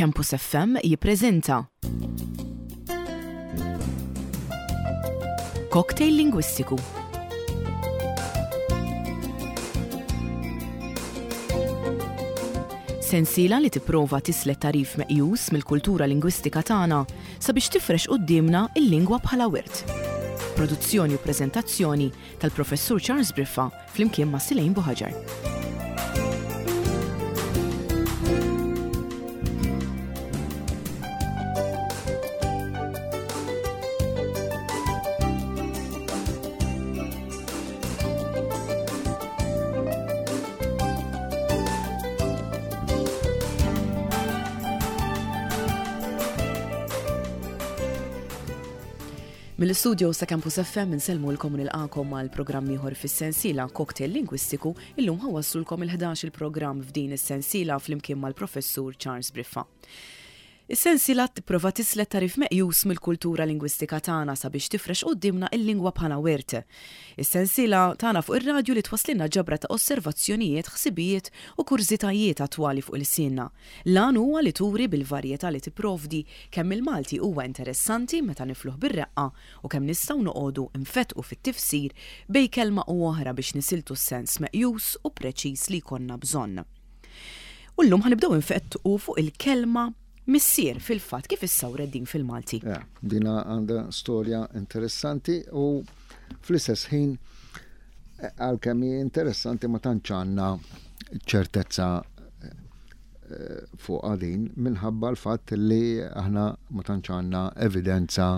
Campus FM jippreżenta Cocktail Lingwistiku. Sensiela li tipprova tislet tagħrif meqjus mill-kultura lingwistika tagħna sabiex tifrex quddiemna l-lingwa bħala wirt. Produzzjoni u preżentazzjoni tal-Professur Charles Briffa flimkien ma' Silejn Buħaġar. Mill-istudios ta' Campus FM insellmulkom u nilqagħkom għal programm ieħor fis-sensiela Cocktail Lingwistiku. Illum ħa wasslulkom il-11 il-programm f'din is-sensiela flimkien mal-Professur Charles Briffa. Is-sensiela tipprova tislet tagħrif meqjus mill-kultura lingwistika tagħna sabiex tifrex quddiemna il-lingwa bħala wirt. Is-sensiela tagħna fuq ir-radju li twasslilna ġabra ta' osservazzjonijiet, ħsibijiet u kurżitajiet attwali fuq ilsienna. L-għan huwa li turi bil-varjetà li tipprovdi kemm il-Malti huwa interessanti meta nifluh bir-reqqa u kemm nistgħu noqogħdu nfettqu fit-tifsir bejn kelma u oħra biex nisiltu s-sens meqjus u preċiż li jkollna bżonn. U llum ħa nibdew infettqu fuq il-kelma missier fil-fatt kif issawret din fil-Malti. Ja, dina għandha storja interessanti u fl-istess ħin għalkemm hi interessanti ma tantx għandna ċertezza eh, fuqha din minħabba l-fatt li aħna ma tantx għandna evidenza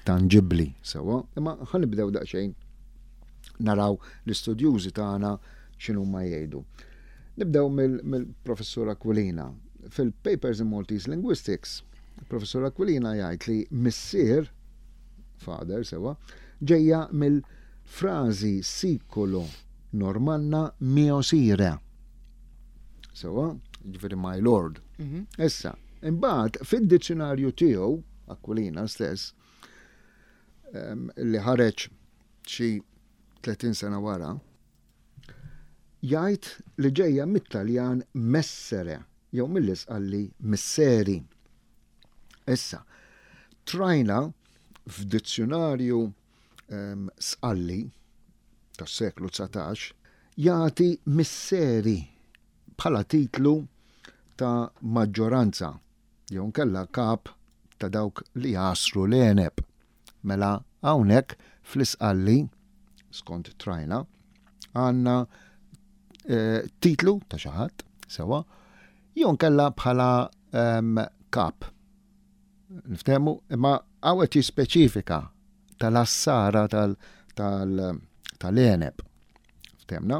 tangibbli sewwa, imma ħa nibdew daqsxejn naraw l-istudjużi tagħna x'inhuma jgħidu. Nibdew mill-professur Aquilina. Fil-Papers in Maltese Linguistics, professur Aquilina jgħid li missier, father sewwa, ġejja mill-frażi sikulo Normanna mio sire. Sewwa, ġifieri my lord. Mhm. Issa, imbagħad fid-dizzjonarju tiegħu, Aquilina stess, li ħareġ xi 30 sena wara, jgħid li ġejja mit-Taljan messere jew mill-Isqalli misseri. Issa, trajna f'dizzjonarju Sqalli tas-seklu 19 jagħti misseri bħala titlu ta' maġġoranza jew inkella kap ta' dawk li jagħsru l-għeneb. Mela hawnhekk fl-Isqalli, skont Trajna, għandna eh, titlu ta' xi ħadd sewwa jew inkella bħala ehm, kap. Niftehmu, imma hawn qed jispeċifika tal-assara tal-għeneb. Ftehmna?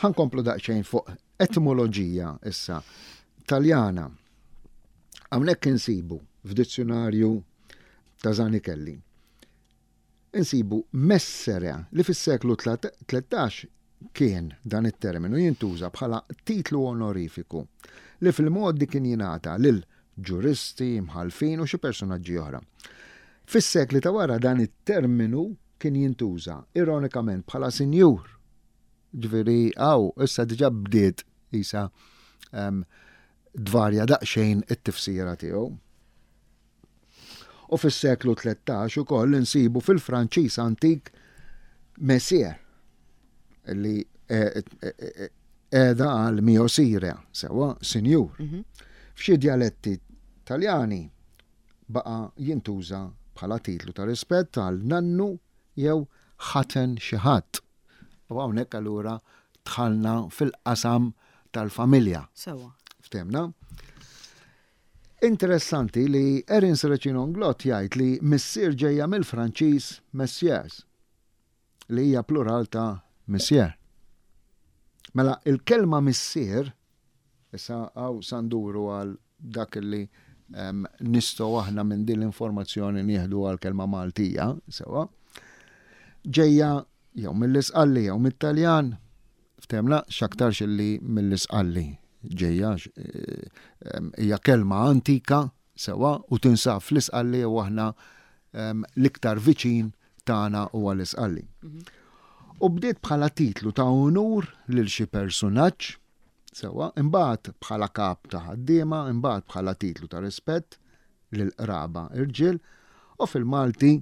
Ħankomplu daqsxejn fuq etimoloġija issa Taljana. Hawnhekk insibu f'dizzjonarju ta' Zanichelli. Insibu messere li fis-seklu 13 kien dan it-terminu jintuża bħala titlu onorifiku li fil-mgħoddi kien jingħata lil ġuristi, imħallfin u xi personaġġi oħra. Fis-sekli ta' wara dan it-terminu kien jintuża ironikament bħala sinjur. Ġifieri hawn issa diġà bdiet isa ehm, dvarja daqsxejn it-tifsira tiegħu. U fis-seklu 13 ukoll insibu fil-Franċiż antik Messier li qiegħda għal mio sire, sewwa sinjur. Mhm. F'xi djaletti Taljani baqa' jintuża bħala titlu ta' rispett għal nannu jew ħaten xi ħadd. U hawnhekk allura dħalna fil-qasam tal-familja. Sewwa. Ftemna? Interessanti li Erin Serracino-Inglott jgħid li missier ġejja mill-Franċiż messieurs, li hija plural ta' monsieur. Mela il-kelma missier, issa hawn sa nduru għal dak li nistgħu aħna minn din l-informazzjoni nieħdu għall-kelma Maltija, sewwa, ġejja jew mill-Isqalli jew mit-Taljan, Ftehmna x'aktarx illi mill-Isqalli ġejja hija kelma antika sewwa u tinsab fl-Isqalli u aħna l-iktar viċin tagħna huwa l-Isqalli. Mhm. U bdiet bħala titlu ta' unur lil xi persunaġġ. Sewwa, imbagħad bħala kap ta' ħaddiema, imbagħad bħala titlu ta' rispett lil qraba irġiel, u fil-Malti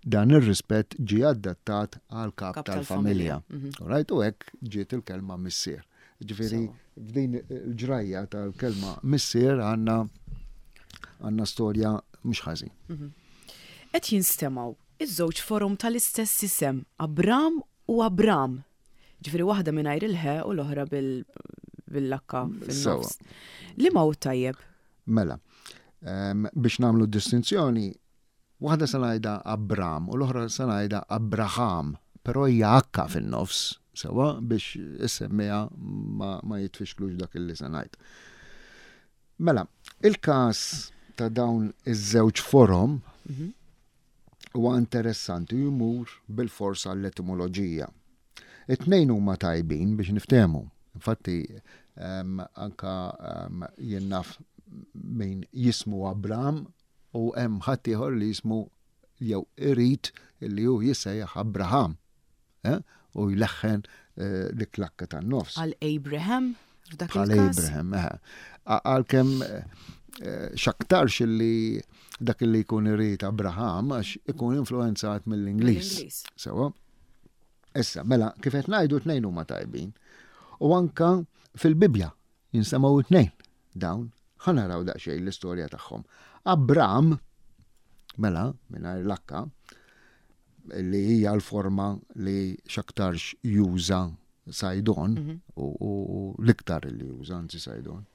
dan ir-rispett ġie adattat għal kap tal-familja. Right, u hekk ġiet il-kelma missier. Ġifieri f'din il-ġrajja tal-kelma missier għandna għandna storja mhux ħażin. Qed jinstemgħu iż-żewġ forom tal-istess isem, Abram u Abram. Ġifieri waħda mingħajr il-ħe u l-oħra bil-lakka fin-nofs. Liema hu t-tajjeb? Mela, biex nagħmlu distinzjoni, waħda se ngħidha Abram u l-oħra se ngħidha Abraham, però hija akka fin-nofs, sewwa biex is-semmiegħa ma, ma jitfixklux dak illi se ngħid. Mela, il-każ ta' dawn iż-żewġ forom huwa interessanti u jmur bilfors għall-etimoloġija. It-tnejn huma tajbin biex niftehmu. Infatti, anka jien naf min jismu Abram u hemm ħaddieħor li jismu jew irid li hu jissejjaħ Abraham. Eh? U jleħħen eh, dik l-akka tan-nofs. Għal Abraham? F'dak Bħal il-każ? Abraham, eh. Għalkemm eh, x'aktarx li dak li jkun irid Abraham għax ikun influenzat mill-Ingliż. Mill-Ingliż. Sewa. Issa, mela, kif qed ngħidu tnejn huma tajbin. U anka fil-Bibbja jinsemgħu tnejn dawn. Ħa naraw daqsxejn l-istorja tagħhom. Abram, mela, mingħajr l-akka, li hija l-forma li x'aktarx juża Sajdon, mhm. u l-iktar li juża anzi Sajdon.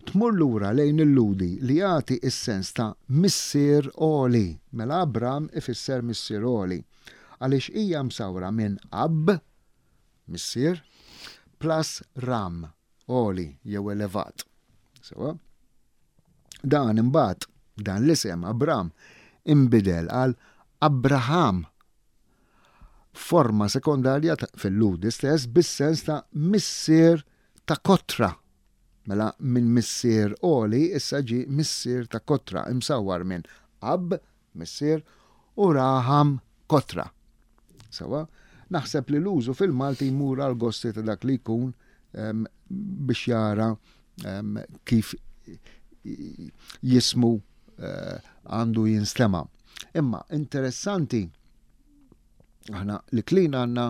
Tmur lura lejn il-Ludi li jagħti s-sens ta' missier għoli, mela Abram ifisser missier għoli, għaliex hija msawra minn Ab, missier, plus Ram, għoli jew elevat. Sewa? Dan imbagħad, dan l-isem Abram inbidel għal Abraham, forma sekondarja fil-Lhudi stess bis-sens ta' missier ta' kotra. Mela minn missier għoli issa ġie missier ta' kotra, imsawwar minn Ab, missier, u Raham, kotra. Sewwa? Naħseb li l-użu fil-Malti jmur għall-gosti ta' dak li jkun biex jara kif jismu eh, għandu jinstema'. Imma interessanti aħna li klin għandna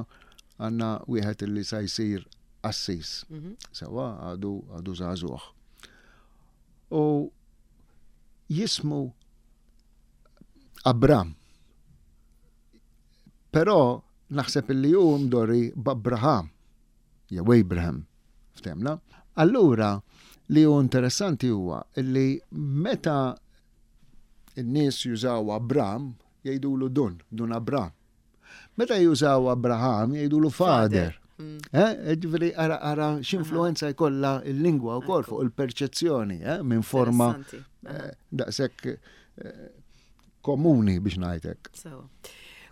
għandna wieħed li sa jsir qassis. Mhm. Sewa għadu għadu żagħżugħ. U jismu Abram. Però naħseb illi hu mdorri b'Abraham jew Abraham, ftemna. Allura li hu interessanti huwa illi meta n-nies jużaw Abram jgħidulu dun, dun Abram. Meta jużaw Abraham jgħidulu father. Mm. Eh, ġifieri ara ara x'influenza jkollha l-lingwa wkoll fuq il-perċezzjoni eh, minn forma eh, daqshekk komuni biex ngħidlek.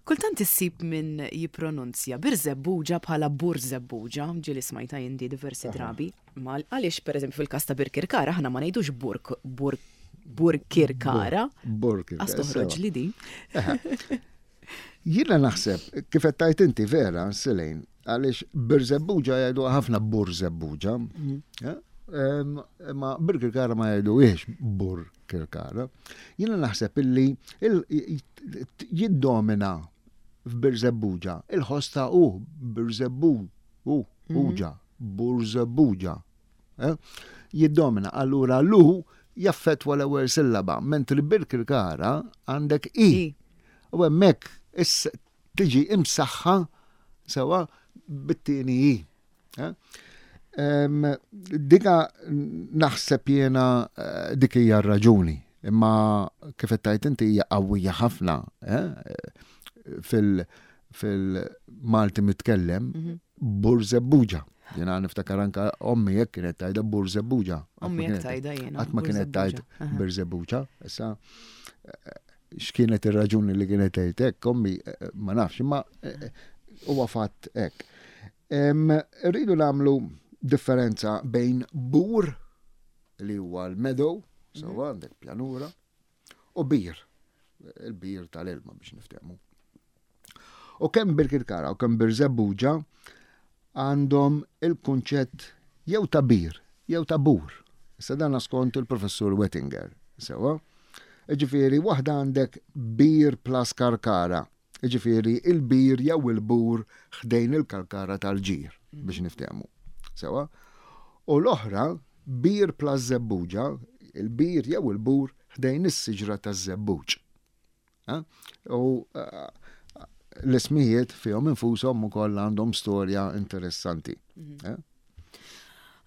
Kultant issib min jippronunzja Birżebbuġa bħala Burżebbuġa, ġieli smajta jien di diversi drabi. Ma għaliex pereżempju fil-każ ta' Birkirkara aħna ma ngħidux Burk Bur Burkirkara. Burkirkara. Għas toħroġ li di. Jiena naħseb, kif qed tgħid inti vera, Selejn, għaliex Birżebbuġa jgħidu ħafna Burżebbuġa. Mhm. Eh? Ma Birkirkara ma jgħiduhiex Burkirkara. Jiena naħseb illi jiddomina f'Birżebbuġa il-ħoss ta' u Birżebbu u mhm. uġa Burżebbuġa. Eh? Jiddomina allura lu jaffetwa l-ewwel sillaba, mentri Birkirkara għandek i. U hemmhekk tiġi imsaħħa sewa bit-tieni i. Eh? Dika naħseb jiena eh, dik hija r-raġuni. Imma kif qed tgħid inti hija qawwija ħafna eh, fil- fil-Malti mitkellem mhm. Burżebbuġa. Jiena niftakar anka ommi jekk kienet tajda Burżebbuġa. Ommi jekk tajda jiena. Qatt ma kienet tajt Birżebbuġa. Issa eh, x'kienet ir-raġuni li kienet tgħid hekk, ommi eh, ma nafx, imma eh, huwa fatt hekk. Rridu nagħmlu differenza bejn bur li huwa l-meadow, mhm. sewa għandek pjanura, u bir, il-bir tal-ilma biex niftehmu. U kemm Birkirkara u kemm Birżebbuġa għandhom il-kunċett jew ta' bir jew ta' bur. Issa dan skont il-Professur Wettinger. Sewwa? Jiġifieri waħda għandek bir plus karkara. Jiġifieri il-bir jew il-bur ħdejn il-kalkara tal-ġir biex niftehmu. Sewwa? U l-oħra bir plus żebbuġa, il-bir jew il-bur ħdejn is-siġra taż-żebbuġ. U eh, l-ismijiet fihom infushom ukoll għandhom storja interessanti. Mhm.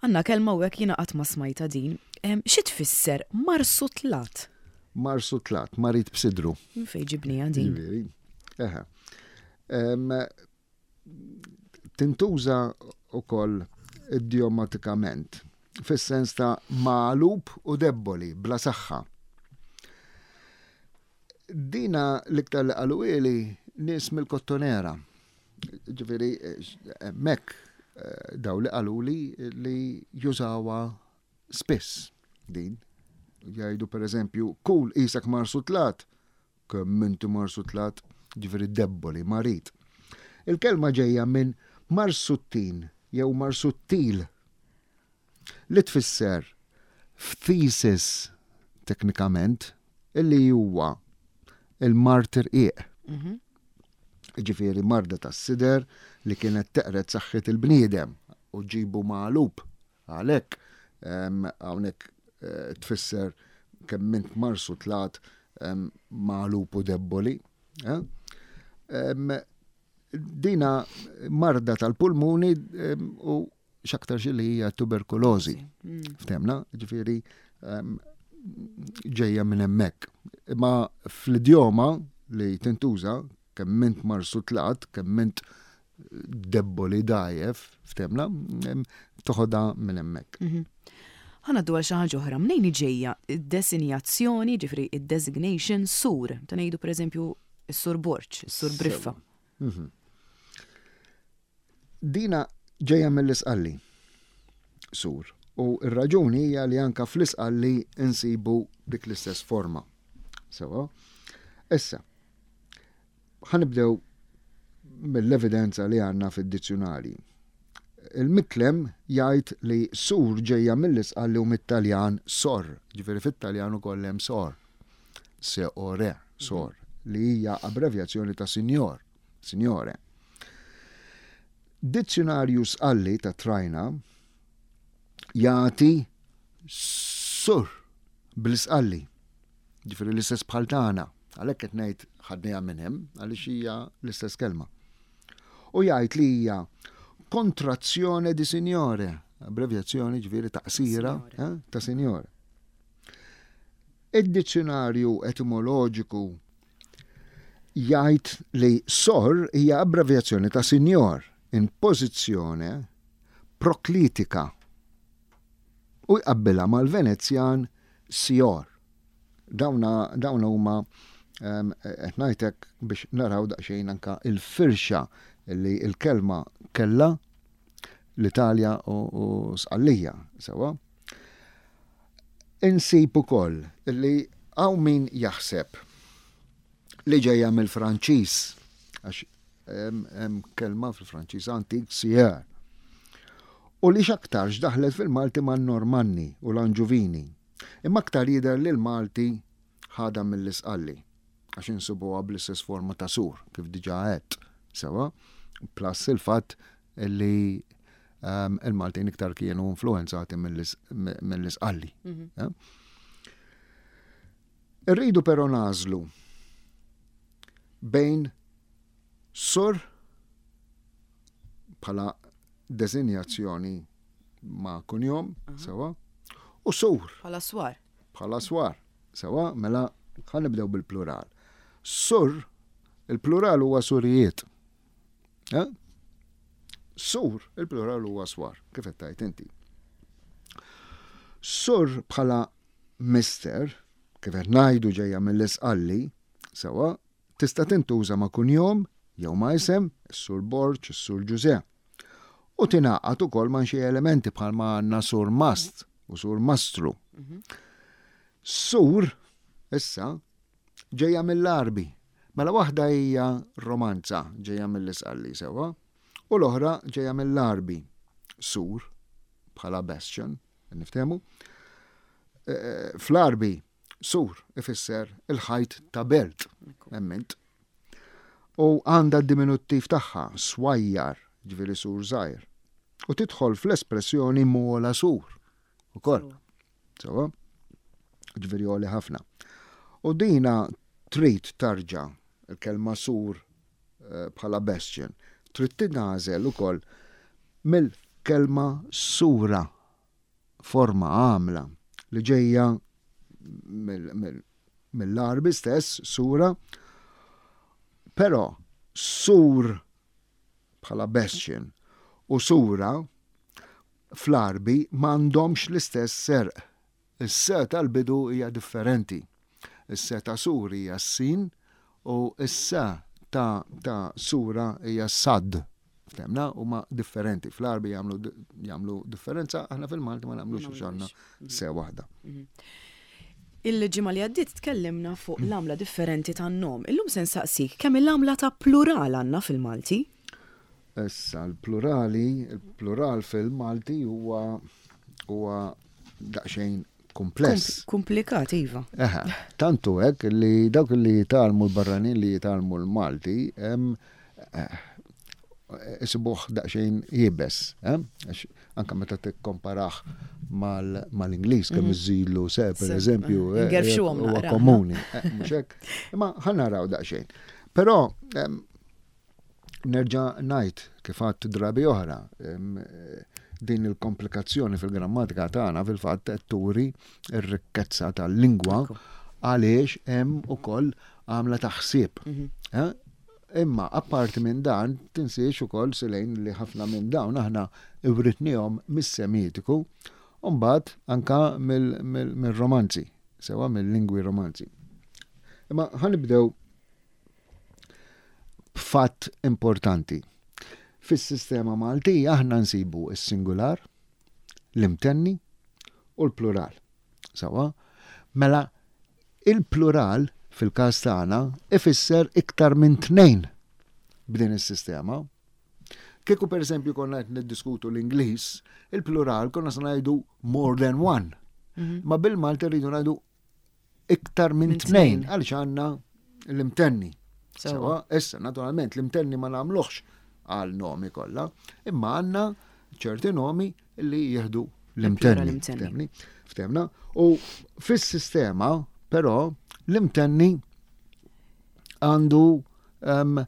Għandna kelma u hekk jiena qatt ma smajtha din. Xi tfisser marsutlat? Marsutlat, marid b'sidru. Minn fejn ġibniha din? Ġifieri, eħe. Tintuża wkoll idjomatikament fis-sens ta' magħlub u debboli, bla saħħa. Dina l-iktar li qaluhieli nies mill-Kottonera. Ġifieri hemmhekk eh, daw li qaluli li jużawha spiss din. Jgħidu pereżempju, kul qisek marsutlat, kemm inti marsutlat, ġifieri debboli, marid. Il-kelma ġejja minn marsuttin jew marsuttil li tfisser f'thesis teknikament illi huwa il-mard irqiq. Mhm. Ġifieri marda tas-sider li kienet teqred saħħet il-bniedem u ġibu magħlub għalhekk hawnhekk eh, tfisser kemm int marsu tlat magħlub u debboli. Eh? Dina marda tal-pulmuni u x'aktarx li hija tuberkulożi. Mm. Ftemna, ġifieri ehm, ġejja minn hemmhekk. Imma fl-idjoma li tintuża kemm int marsutlat, kemm int debboli dajef, ftemna, toħodha minn hemmhekk. Mhm. Ħa ngħaddu għal xi ħaġa oħra, mnejn ġejja id-desinjazzjoni, ġifieri id-designation sur, ta' ngħidu pereżempju s-sur Borġ, is-sur Briffa. Mhm. Dina ġejja mill-Isqalli, sur, u r-raġuni hija li anka fl-Isqalli nsibu dik l-istess forma. Sewa. Issa, ħanibdew mill-evidenza li għandna fid-dizzjunarji. Il-Miklem jgħid li sur ġejja mill-Isqalli u mit-Taljan sor, ġifieri fit-Taljan ukoll hemm sor. Se ore, sor, li hija abbrevjazzjoni ta' signor. Signore. Dizzjunarju Sqalli ta' Trajna jagħti sur bl-Isqalli. Ġifieri l-istess bħal tagħna. Għalhekk qed ngħid ħadniha minn hemm għaliex hija l-istess kelma. U jgħid li hija kontrazzjone di signore, abbrevjazzjoni ġifieri taqsira eh, ta' signore. Id-dizzjunarju etimoloġiku jgħid li sor hija abbrevjazzjoni ta' signor in pożizzjone proklitika u jqabbilha mal-Venezjan sior. Dawna dawna huma ehm, qed ngħidlek biex naraw daqsxejn anka il-firxa li l-kelma kellha l-Italja u Sqallija sewwa. Insib ukoll li hawn min jaħseb li ġejja mill-Franċiż, għax hemm kelma fil-Franċiż antik sieur. U li x'aktarx daħlet fil-Malti man-Normanni u l-Anġuvini. Imma aktar jidher li l-Malti ħadha mill-Isqalli, għax insibuha bl-istess forma ta' sur, kif diġà għedt, sewwa, plus il-fatt li ehm, il-Maltin iktar kienu influenzati mill-Isqalli. Mhm. Eh? Irridu però nażlu bejn sur bħala desinjazzjoni ma' kunjom, sewa, u sur. Bħala swar. Bħala swar, sewa, mela ħanibdew bil-plural. Sur, il-plural huwa surijiet. Eh? Sur, il-plural huwa swar, kif qed tgħid inti. Sur bħala mister, kif qed ngħidu ġejja mill-isqalli, sewa, tista' tintuża ma' kunjom jew ma' isem, is-Sur Borg, is-Sur Ġużè. U tingħaqad ukoll ma' xi elementi bħal ma għandna Sur Mast u Sur Mastru. Mhm. Sur, issa, ġejja mill-Għarbi. Mela waħda hija romanza ġejja mill-Isqalli sewwa, u l-oħra ġejja mill-Għarbi, sur, bħala bastion, niftehmu. Eh, fl-Arbi, sur ifisser il-ħajt ta' belt, emmint. U għandha d-diminuttiv tagħha, swajjar, ġifieri sur żgħir. U tidħol fl-espressjoni mola sur. Ukoll. Sewa? Ġifieri għoli ħafna. U dina trid tarġa' il-kelma sur eh, bħala bastion. Trid tingħażel ukoll mill-kelma sura, forma għamla li ġejja mill-Għarbi stess, sura, però sur bħala bastion u sura fl-Għarbi m'għandhomx l-istess serq. Is-se tal-bidu hija differenti. Is-se ta' sur hija s-sin u s-se ta' ta' sura hija s-sad. Ftemna huma differenti. Fl-Għarbi jagħmlu jagħmlu differenza, aħna fil-Malti ma nagħmlux għax għandna se waħda. Mhm. Il-ġimgħa li għaddiet tkellimna fuq l-għamla differenti tan-nom. Illum se nsaqsik kemm il-għamla ta' plural għandna fil-Malti? Issa l-plurali, il-plural fil-Malti huwa huwa daqsxejn kumpless. Komplikat, iva. Eħe, tantu hekk li dawk li jitgħallmu l-barranin li jitgħallmu l-Malti eh, isibuh daqsxejn iebes, eh? Għax anka meta tikkomparah mal-Ingliż kemm mhm. iżilu se per eżempju, eh, huwa komuni, mhux hekk. Imma ħa naraw daqsxejn. Però Nerġa' ngħid, kif għedt drabi oħra, din il-komplikazzjoni fil-grammatika tagħna fil-fatt qed turi r-rikkezza tal-lingwa għaliex hemm ukoll għamla ta' ħsieb. Mhm. Eh? Imma apparti minn dan, tinsiex ukoll silejn li ħafna minn dawn aħna writnihom mis-Semitiku u mbagħad anka mill-Romanzi, sewa mill-lingwi Romanzi. Imma ħanibdew b'fatt importanti. Fis-sistema Maltija aħna nsibu s-singular, l-imtenni u l-plural. Sawa? Mela, il-plural fil-każ tagħna ifisser iktar minn tnejn b'din is-sistema. Kieku pereżempju konna qed niddiskutu l-Ingliż, il-plural konna se ngħidu more than one. Mhm. Ma bil-Malti rridu ngħidu iktar minn tnejn għaliex għandna l-imtenni. Sewa, issa naturalment l-imtenni ma nagħmluhx għal nomi kollha, imma għandna ċerti nomi li jieħdu l-imtenni. Ftemna. U fis-sistema, però, l-imtenni għandu ehm,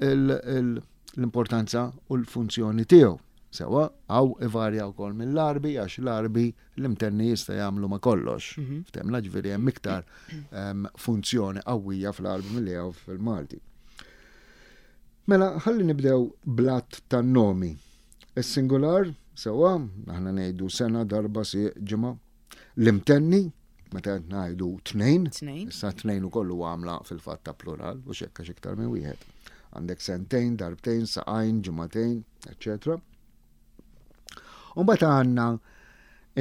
l-importanza u l-funzjoni tiegħu. Sewa, għaw ivarja wkoll mill-Għarbi għax l-Għarbi l-imtenni jista' jagħmlu ma' kollox. Mhm. Ftemna ġifieri hemm iktar ehm, funzjoni qawwija fl-Għarbi milli hawn fil-Malti. Mela, ħalli nibdew blat tan-nomi. Is-singular, sewa, aħna ngħidu sena, darba, sieq, ġimgħa. L-imtenni, meta qed ngħidu tnejn, issa tnejn ukoll huwa għamla fil-fatt ta' plural u xekka iktar minn wieħed. Għandek sentejn, darbtejn, saqajn, ġimagħtejn, eċċetera. U mbagħad għandna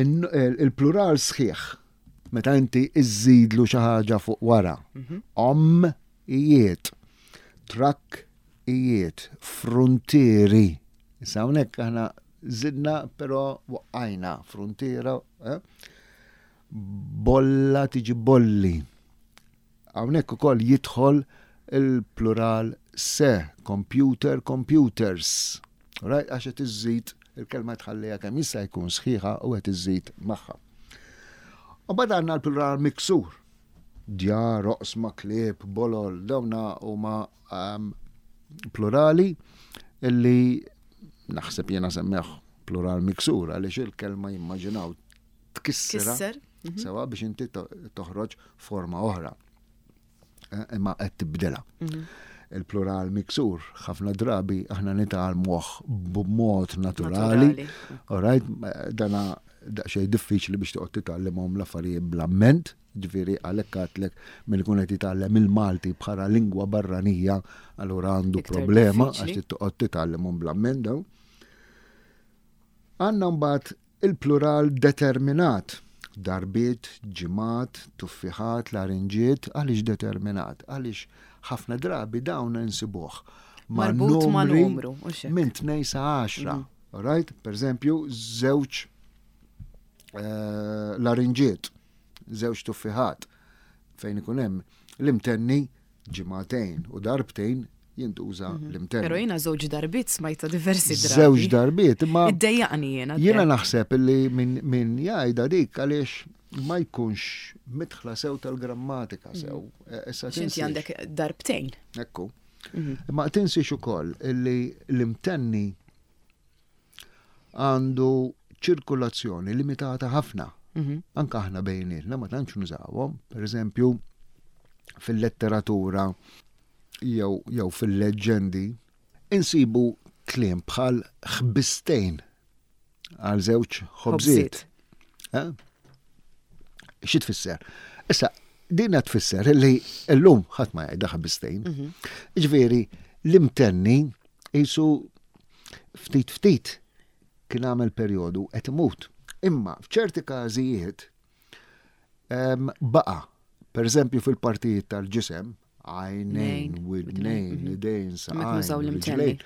il-plural sħiħ meta inti iżżidlu xi ħaġa fuq wara. Mhm. Om ijiet, trakk ijiet, fruntieri. Issa hawnhekk aħna zidna però waqqajna fruntiera, eh? bolla tiġi bolli. Hawnhekk ukoll jidħol il-plural se, computer, computers. Right? Għax qed iżżid il-kelma tħalliha kemm jista' jkun sħiħa u qed iżżid magħha. U bad għandna l-plural miksur. Djar, oqsma, klieb, bolol, dawna huma um, plurali illi naħseb jiena semmeħ plural miksur għaliex il-kelma jimmaġinaw tkissira mhm. sewa biex inti toħroġ forma oħra. Eh, imma qed tibdilha. Mhm. Il-plural miksur ħafna drabi aħna nitgħallmuh b'mod naturali. Alright, dana daqsxejn diffiċli biex toqgħod titgħallimhom l-affarijiet bl-amment, ġifieri għalhekk għadtlek min ikun qed jitgħallem il-Malti bħala lingwa barranija, allura għandu problema għax toqgħod titgħallimhom bl-amment dawn. Għandna mbagħad Il-plural determinat, darbiet, ġimgħat, tuffiħat, larinġiet, għaliex determinat? Għaliex ħafna drabi dawn insibuh ma' numri minn tnej sa għaxra. Mhm. Alright? Per eżempju, żewġ. eh, larinġiet, żewġ tuffiħat fejn ikun hemm l-imtenni ġimagħtejn u darbtejn jintuża mhm. l-imtenni. Però jiena żewġ darbiet smajta diversi drabi. Żewġ darbiet, imma. Iddejjaqni jiena. Jiena naħseb li min jgħidha dik għaliex ma jkunx mitħla sew tal-grammatika mhm. sew. Eh, issa Inti għandek darbtejn. Ekku. Mhm. Ma tinsiex ukoll li l-imtenni għandu ċirkulazzjoni limitata ħafna. Mhm. Anka aħna bejnietna ma tantx nużawhom, per eżempju, fil-letteratura jew, jew fil-leġġendi, insibu kliem bħal ħbistejn għal żewġ ħobżiet. Eh? Xi tfisser? Issa, din qed tfisser li llum ħadd ma jgħidha ħbistejn. Mhm. Ġifieri, l-imtenni qisu ftit ftit kien għamel perjodu qed imut. Imma f'ċerti każijiet baqa', per eżempju fil-partijiet tal-ġisem, għajnejn, widnejn, mhm. idejn, saqajn, riġlejn.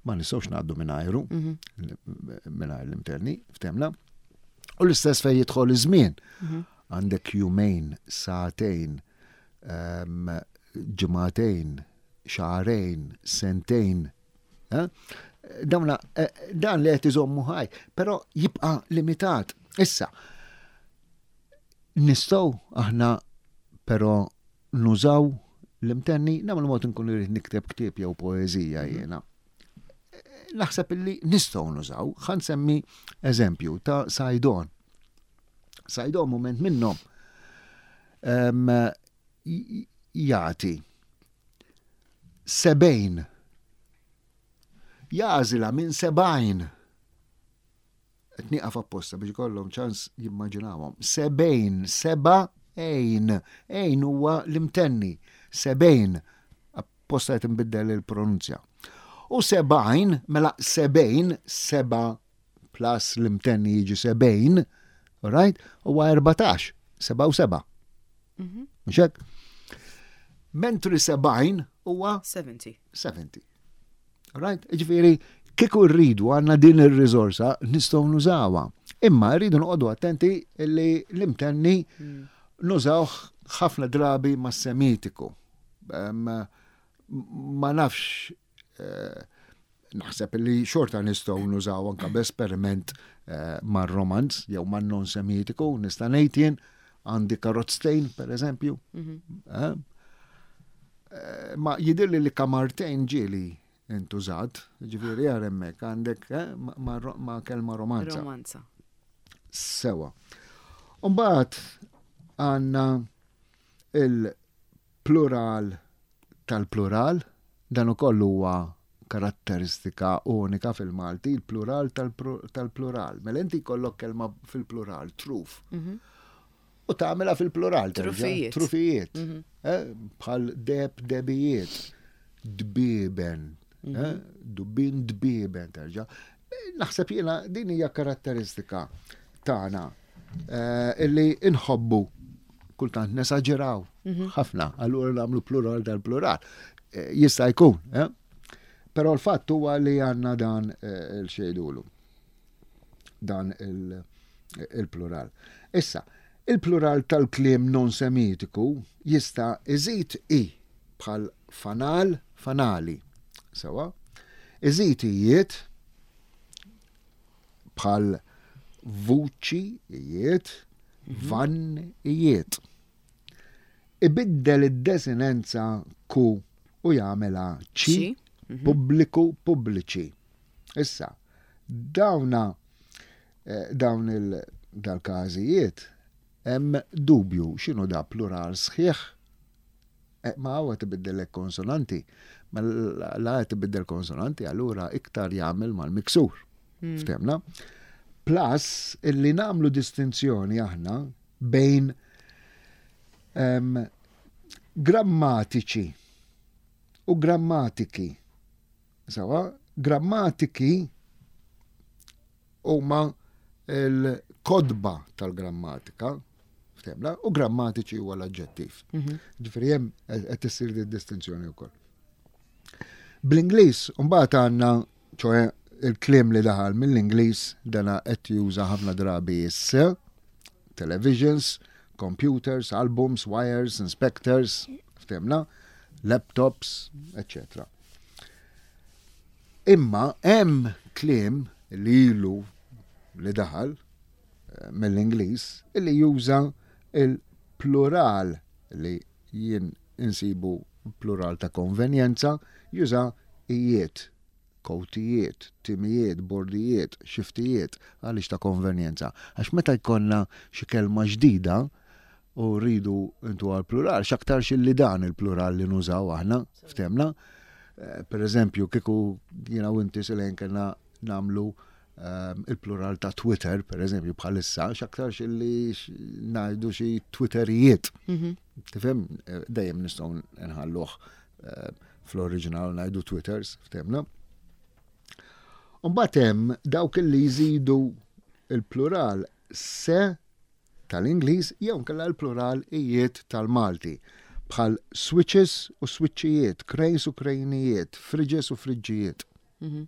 Ma nistgħux ngħaddu minn ajru, mhm. minn l-imterni, ftemna. U l-istess fejn jidħol iż-żmien. Mhm. Għandek jumejn, sagħtejn, ġimagħtejn, xahrejn, sentejn. Eh? Dawna, eh, dan li qed iżommu ħaj, però jibqa' limitat. Issa, nistgħu aħna però nużaw l-imtenni, nagħmlu mod nkun irid nikteb ktieb jew poeżija mhm. jiena. Naħseb illi nistgħu nużaw, ħa nsemmi eżempju ta' Sajdon. Sajdon moment minnhom jagħti sebejn jagħżilha minn sebgħin. Qed nieqaf apposta biex ikollhom ċans jimmaġinawhom. Sebejn, seba' ejn. Ejn huwa l-imtenni. Sebejn. Apposta qed inbiddel il-pronunzja. U sebgħin, mela sebejn, seba' plus l-imtenni jiġi sebejn, right? Huwa 14, seba' u seba'. Mhm. Mhux hekk? Mentri 70 huwa 70. 70. Right? Ġifieri, kieku rridu għandna din ir-riżorsa nistgħu nużawha. Imma rridu noqogħdu attenti li l-imtenni hmm. nużawh ħafna drabi ma' semitiku. Ma nafx eh, naħseb li xorta nistgħu nużaw anka b'esperiment eh, mar-romanz jew man-non semitiku, nista' ngħid jien għandi karozztejn per eżempju. Mhm. Eh? Eh, ma jidirli li kamartejn ġieli intużat, ġifieri għar hemmhekk għandek ma' kelma romanza. Romanza. Sewa. Umbagħad għandna il-plural tal-plural, dan ukoll huwa karatteristika unika fil-Malti, il-plural tal-plural. Mela inti jkollok kelma fil-plural, truf. Mhm. U tagħmilha fil-plural. Trufijiet. Trufijiet. Mhm. Eh, bħal deb, debijiet, dbiben, mhm. eh, dubin dbiben terġa'. Naħseb jiena din hija karatteristika tagħna eh, illi inħobbu kultant nesaġeraw mhm. ħafna, allura nagħmlu plural dal-plural. Eh, jista' jkun, eh? Però l-fatt huwa li għandna dan eh, il-xejdulu. Dan il-plural. Issa, il-plural tal-kliem non semitiku jista' iżid i bħal fanal, fanali. Sewa, iżid ijiet bħal vuċi ijiet, mhm. van ijiet. Ibiddel id-desinenza ku u jagħmilha ċi, mhm. pubbliku pubbliċi. Issa, dawna eh, dawn il-dal-każijiet hemm dubju x'inhu da plural sħiħ Eh, ma għawa tibiddellek konsonanti. Ma la tibiddel konsonanti, allura iktar jagħmel mal-miksur. Hmm. Ftemna? Plus, illi namlu distinzjoni aħna bejn um, grammatiċi u grammatiki. Sawa, grammatiki huma l-kodba tal-grammatika, ftemna, u grammatiċi huwa l-aġġettiv. Mhm. Ġifieri hemm qed issir di distinzjoni wkoll. Bl-Ingliż mbagħad għandna ċoe Il-kliem li daħal mill-Ingliż dana qed juża ħafna drabi s televisions, computers, albums, wires, inspectors, ftemna, laptops, etc. Imma hemm kliem li ilu li daħal eh, mill-Ingliż li juża il-plural li jien insibu plural ta' konvenjenza, juża ijiet, kowtijiet, timijiet, bordijiet, xiftijiet, għaliex ta' konvenjenza. Għax meta jkollna xi kelma ġdida u rridu intu għal plural, x'aktarx illi dan il-plural li nużaw aħna, ftemna. Eh, per eżempju, kieku jiena u inti Selene kellna nagħmlu ehm, il-plural ta' Twitter, per eżempju, bħalissa, x'aktarx illi ngħidu xi Twitterijiet. Mhm. Tifhem, eh, dejjem nistgħu nħalluh eh, fl-oriġinal ngħidu Twitters, ftemna. Mbagħad hemm dawk li jżidu il-plural se tal-Ingliż jew nkella l-plural ijiet tal-Malti bħal switches u switchijiet, cranes u krejnijiet, fridges u friġġijiet. Mhm.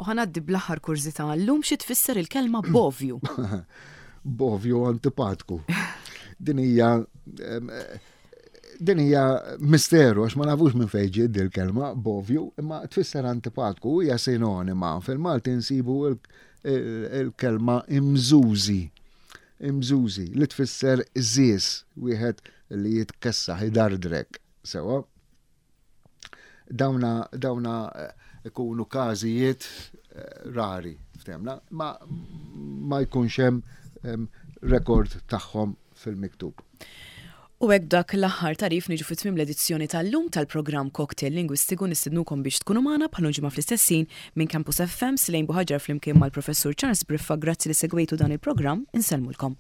U ħanaddi bl-aħħar kurżità llum xi tfisser il-kelma bovju. Bovju antipatku. Din hija din hija misteru għax ma nafux minn fejn ġiet il-kelma bovju, imma tfisser antipatku hija sinonima. Fil-Malti nsibu il-kelma imżużi. Imżużi li tfisser żies wieħed li jitkessaħ idardrek. Sewa. Dawna, dawna eh, ikunu każijiet eh, rari, ftemna, ma, ma jkunx hemm rekord tagħhom fil-miktub. U hekk dak l-aħħar tarif niġu fi tmiem l-edizzjoni tal-lum tal-programm Cocktail Lingwistiku nistednukom biex tkunu magħna bħal ġimgħa fl-istess ħin minn Campus FM Silejn Buħaġar flimkien mal-Professur Charles Briffa grazzi li segwejtu dan il-programm insellmulkom.